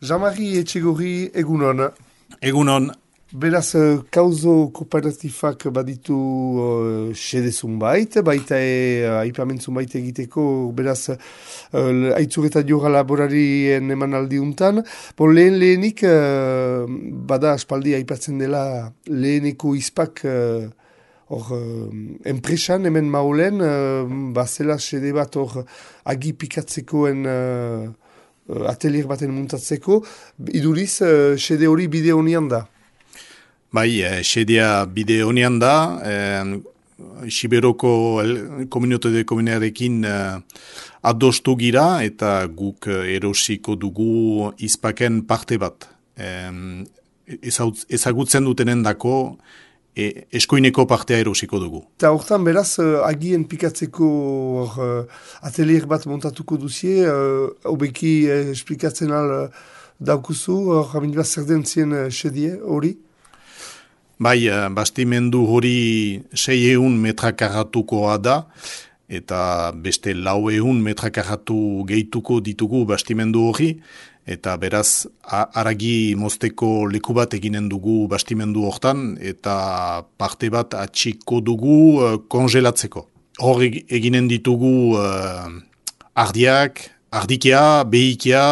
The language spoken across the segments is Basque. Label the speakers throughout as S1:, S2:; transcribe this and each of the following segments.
S1: Jean-Marie Etxegorri egunon.
S2: Egunon.
S1: Beraz, kauzo kooperatifak baditu xede zunbait, baita aipamen zunbait egiteko, beraz, aitzureta joga laborarien eman aldiuntan. Lehenik, bada aspaldi aipatzen dela leheneko izpak enpresan hemen maulen, bazela xede bat agi pikatzekoen atelier baten muntatzeko, iduriz, xede hori bide honian da.
S2: Bai, xedea bide honian da, Siberoko komunitate de komunearekin adostu gira eta guk erosiko dugu izpaken parte bat. Ezagutzen dutenen dako eskoineko partea erosiko dugu.
S1: Eta hortan beraz, agien pikatzeko atelier bat montatuko duzie, hobeki esplikatzen al daukuzu, jamin bat zer den zien xedie hori?
S2: Bai, bastimendu hori 600 metrakarratukoa da, eta beste 400 metrakarratu gehituko ditugu bastimendu hori, eta beraz, haragi mozteko leku bat eginen dugu bastimendu hortan, eta parte bat atxiko dugu kongelatzeko. Hor eginen ditugu ardiak, ardikia, behikia,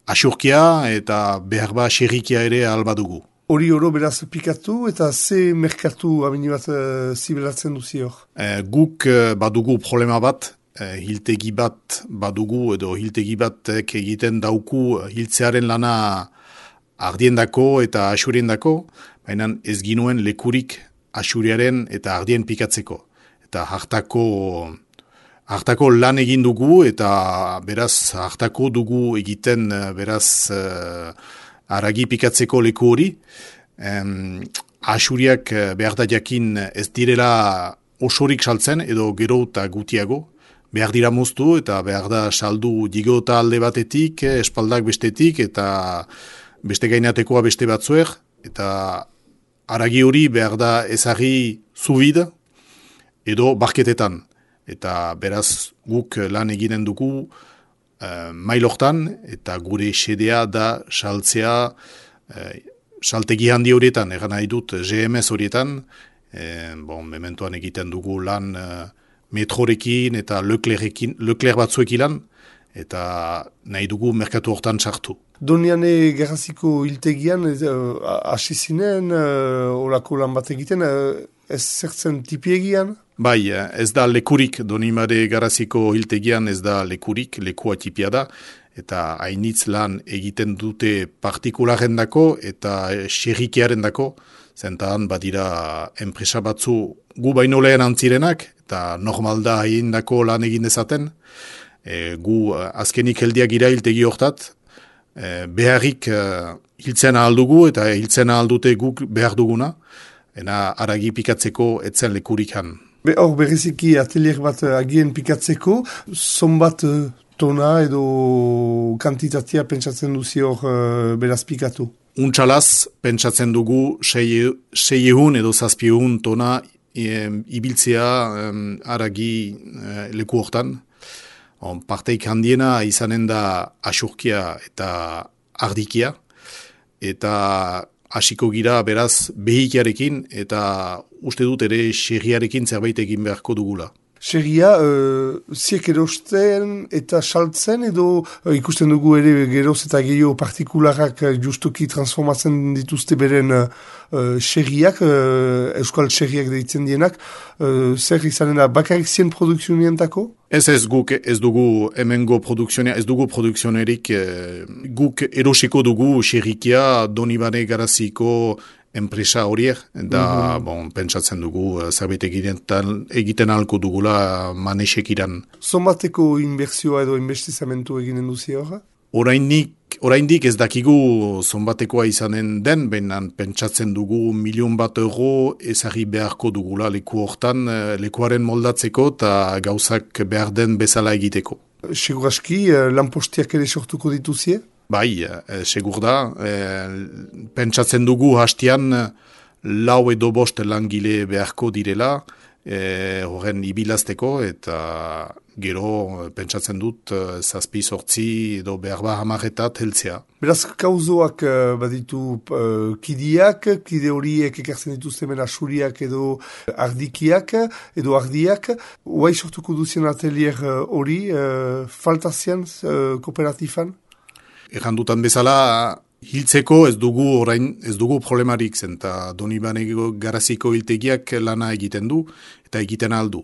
S2: asurkia, eta behar ba xerrikia ere alba dugu.
S1: Hori oro beraz pikatu eta ze merkatu amini bat zibelatzen duzi hor?
S2: Guk badugu problema bat, hiltegi bat badugu edo hiltegi batek egiten dauku hiltzearen lana ardiendako eta asuriendako, baina ez ginuen lekurik asuriaren eta ardien pikatzeko. Eta hartako lan egin dugu eta beraz hartako dugu egiten beraz haragi pikatzeko leku hori. Asuriak behar da jakin ez direla osorik saltzen edo gero eta gutiago. Behar dira moztu eta behar da saldu digota alde batetik, espaldak bestetik eta beste gainatekoa beste batzuer. Eta haragi hori behar da ezagri zubid edo barketetan. Eta beraz guk lan eginen dugu mailortan eta gure xedea da saltzea saltegi handi horietan, egan nahi dut GMS horietan, mementoan egiten dugu lan metrorekin eta Leclerc batzuekin lan, eta nahi dugu merkatu hortan sartu.
S1: Doniane Garraziko hiltegian hasi zinen, orako lan bat egiten, ez zertzen tipiegian?
S2: Bai, ez da lekurik, Donimare Garraziko hiltegian ez da lekurik, lekua tipia da, eta hainitz lan egiten dute partikularen dako eta xerrikiaren dako, zentan badira enpresa batzu gu baino lehen antzirenak, eta normal da hain dako lan egin dezaten, gu azkenik heldiak gira hiltegi hortat, beharrik hiltzen ahaldugu eta hiltzen ahaldute guk behar duguna, ena haragi pikatzeko etzen lekurik han.
S1: Hor bereziki atelier bat agien pikatzeko, zonbat tona edo kantitatea pentsatzen duzi hor beraz pikatu?
S2: Untxalaz pentsatzen dugu 600 edo 700 tona ibiltzea haragi leku hortan. Parteik handiena izanen da asurkia eta ardikia, eta hasiko gira beraz behikiarekin eta uste dut ere xerriarekin zerbait egin beharko dugula.
S1: Xerria, ziek erosten eta saltzen edo ikusten dugu ere geroz eta gehiago partikularrak justuki transformatzen dituzte beren xerriak, euskal xerriak deitzen dienak, zer izanen da bakarrik zien produkzionientako?
S2: Ez guk ez dugu hemengo produkzionea, ez dugu produkzionerik, guk erosiko dugu xerrikia Donibane Garaziko enpresa horiek, da pentsatzen dugu zerbait egiten ahalko dugula manesekiran.
S1: Zonbateko inbertsioa edo investizamentu eginen duzi horra?
S2: Oraindik ez dakigu zonbatekoa izanen den, baina pentsatzen dugu €1.000.000 ezagri beharko dugula leku hortan, lekuaren moldatzeko eta gauzak behar den bezala egiteko.
S1: Seguraski, lanpostiak ere sortuko dituzie?
S2: Bai, segur da, pentsatzen dugu hastian 4 edo 5 langile beharko direla, horren ibilazteko, eta gero pentsatzen dut 7-8 edo behar hamarretat heltzea.
S1: Beraz, kauzoak baditu kidiak, kide horiek ekartzen dituzte mena suriak edo ardikiak, edo ardiak. Oai sortuko duzien atelier hori, faltazian kooperatifan?
S2: Egan dutan bezala, hiltzeko ez dugu problemarik zen, eta Donibane Garaziko hiltegiak lana egiten du, eta egiten aldu.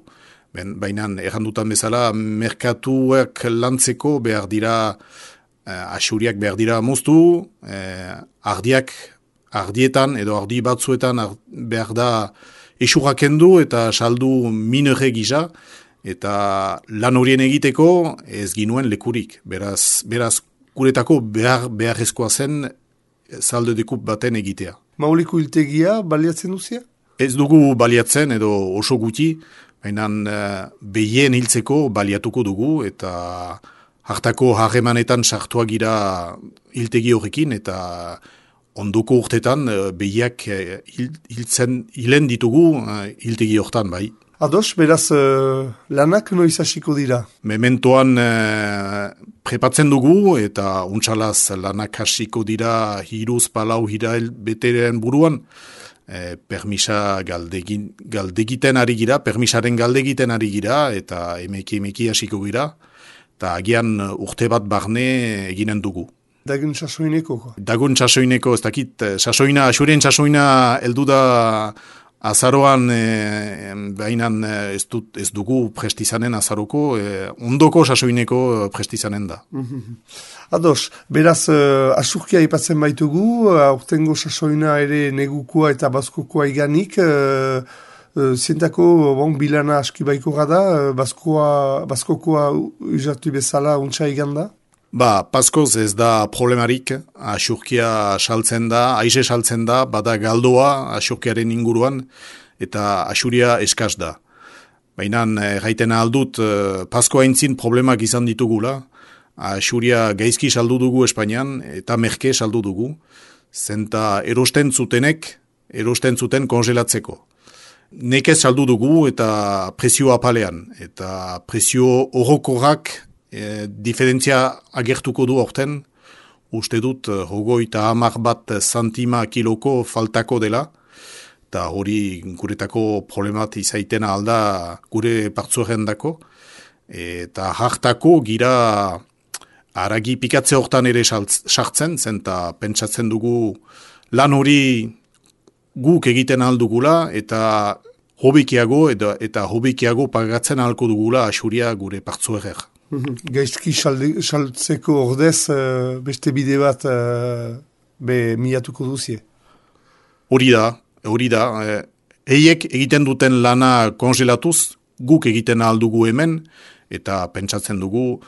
S2: Baina, egan dutan bezala, merkatuak lantzeko behar dira, asuriak behar dira moztu, ardietan edo ardi batzuetan behar da esurrak kendu eta saldu minore gisa, eta lan horien egiteko ez ginuen lekurik. Beraz guretako beharrezkoa zen saldo dekup baten egitea.
S1: Mauliko hiltegia baliatzen duzia?
S2: Ez dugu baliatzen edo oso guti, baina behien hiltzeko baliatuko dugu eta hartako harremanetan sartua gira hiltegi horrekin eta ondoko urtetan behiak hilen ditugu hiltegi horretan bai.
S1: Ados, beraz, lanak noiz hasiko dira?
S2: Mementoan prepatzen dugu eta untsalaz lanak hasiko dira 3-4 hilabeteren buruan. Permisa galdegiten ari gira, permisaren galdegiten ari gira eta emeki hasiko gira. Eta agian urte bat barne eginen dugu.
S1: Dagun sasoineko?
S2: Dagun sasoineko, ez dakit, asurien sasoina heldu da azaroan, bainan ez dugu prestizanen azaroko, ondoko sasoineko prestizanen da.
S1: Ados, beraz, asurkia ipatzen baitugu, aurtengo sasoina ere negukoa eta bazkokoa iganik, zientako bilana aski baiko gada, bazkokoa uzatu bezala untsa iganda?
S2: Paskoz ez da problemarik, asurkia saltzen da, aize saltzen da, bada galdoa asurkiaren inguruan, eta asuria eskaz da. Baina, gaiten aldut, Pasko haintzin problemak izan ditugula, asuria gaizki saldu dugu Espainian, eta merke saldu dugu, zenta erosten zuten kongelatzeko. Nekez saldu dugu eta prezio apalean, eta prezio orokorrak diferentzia agertuko du horten, uste dut 30 centima kiloko faltako dela, eta hori guretako problemat izaiten alda gure partzuaren dako, eta hartako gira aragi pikatze hortan ere sartzen, zenta pentsatzen dugu lan hori guk egiten aldugula, eta hobikiago pagatzen ahalko dugula asuria gure partzuerer.
S1: Gaizki saltzeko ordez beste bide bat milatuko duzie?
S2: Hori da. Eiek egiten duten lana kongelatuz, guk egiten aldugu hemen, eta pentsatzen dugu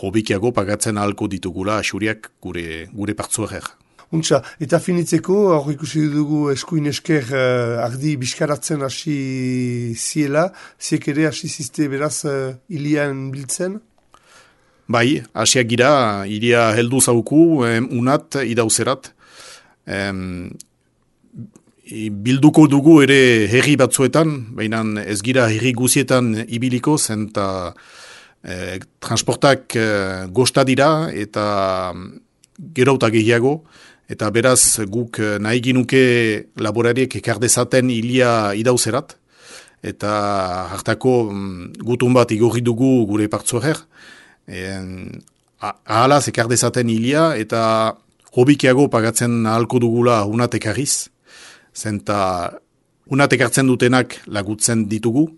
S2: hobikiago pagatzen ahalko ditugula asuriak gure partzuerer.
S1: Untxa, eta finitzeko, hor ikusi dugu eskuin esker ardi biskaratzen hasi ziela, ziek ere hasi zizte beraz ilian biltzen?
S2: Bai, hasiak gira, iria heldu zauku, unat idauzerat. Bilduko dugu ere herri batzuetan, baina ez gira herri guzietan ibiliko, zenta transportak gosta dira eta gerauta gehiago, eta beraz guk nahi ginuke laborariek ekardezaten ilia idauzerat, eta hartako gutun bat igorri dugu gure partzuerer, ahalaz ekardezaten ilia eta hobikiago pagatzen ahalko dugula unatek harriz, zenta unatek hartzen dutenak lagutzen ditugu,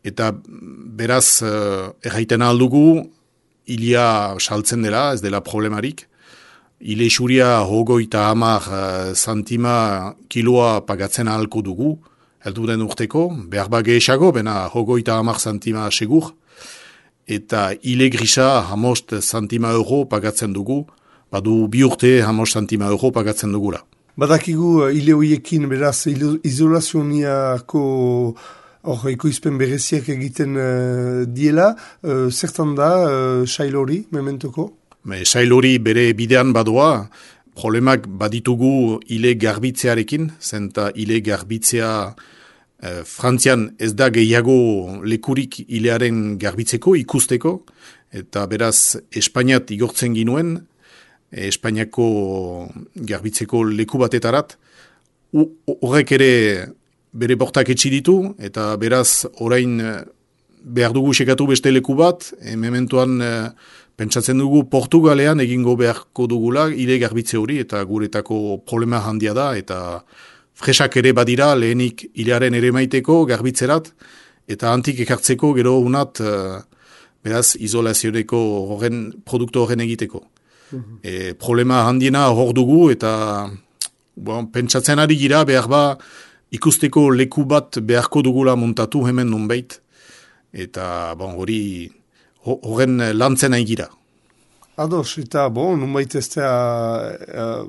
S2: eta beraz erraiten aldugu ilia saltzen dela, ez dela problemarik. Ile xuria 30 centima kiloa pagatzen ahalko dugu, heldu den urteko, behar bage esago, bena 30 centima segur, eta ile grisa 15 centima euro pagatzen dugu, badu 2 urte 15 centima euro pagatzen dugula.
S1: Badakigu ile hoiekin beraz izolazioniako ekoizpen bereziak egiten diela, zertan da sail hori, mementoko?
S2: Sail hori bere bidean badoa, problemak baditugu ile garbitzearekin, zenta ile garbitzea Frantzian ez da gehiago lekurik ilearen garbitzeko, ikusteko, eta beraz Espainiat igortzen ginuen, Espainiako garbitzeko leku batetarat, horrek ere bere bortak etxi ditu, eta beraz orain behar dugu sekatu beste leku bat, mementuan pentsatzen dugu Portugalean egingo beharko dugula ile garbitze hori, eta guretako problema handia da, eta fresak ere badira lehenik ilearen ere maiteko garbitzerat, eta antik ekartzeko gero unat beraz izolazioneko produktu horren egiteko. Problema handiena hor dugu, eta pentsatzen ari gira behar ba ikusteko leku bat beharko dugula montatu hemen nonbait, eta hori horren lantzen nahi gira.
S1: Ados, eta nonbait ez da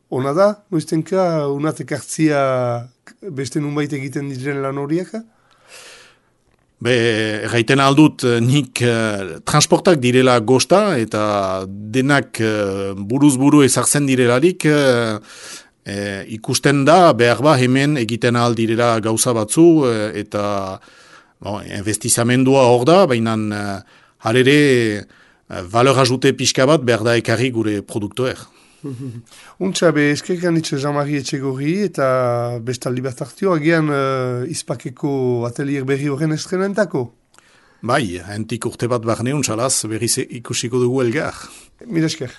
S1: ona da, noiztenka unat ekartzia beste nonbait egiten diren lan horiek?
S2: Erraiten aldut nik transportak direla gosta, eta denak buruz-buru ezartzen direlarik ikusten da, behar ba hemen egiten ahal direla gauza batzu, eta investizamendua hor da, baina harere valor ajute pixka bat behar da ekarri gure produktoer.
S1: Untxa, eskerkan itxe Jean-Marie Etxegorri eta bestaldi bat hartio, agian izpakeko atelier berri horren estrenentako?
S2: Bai, hentik urte bat barne untxalaz, berriz ikusiko dugu elgar.
S1: Mila esker.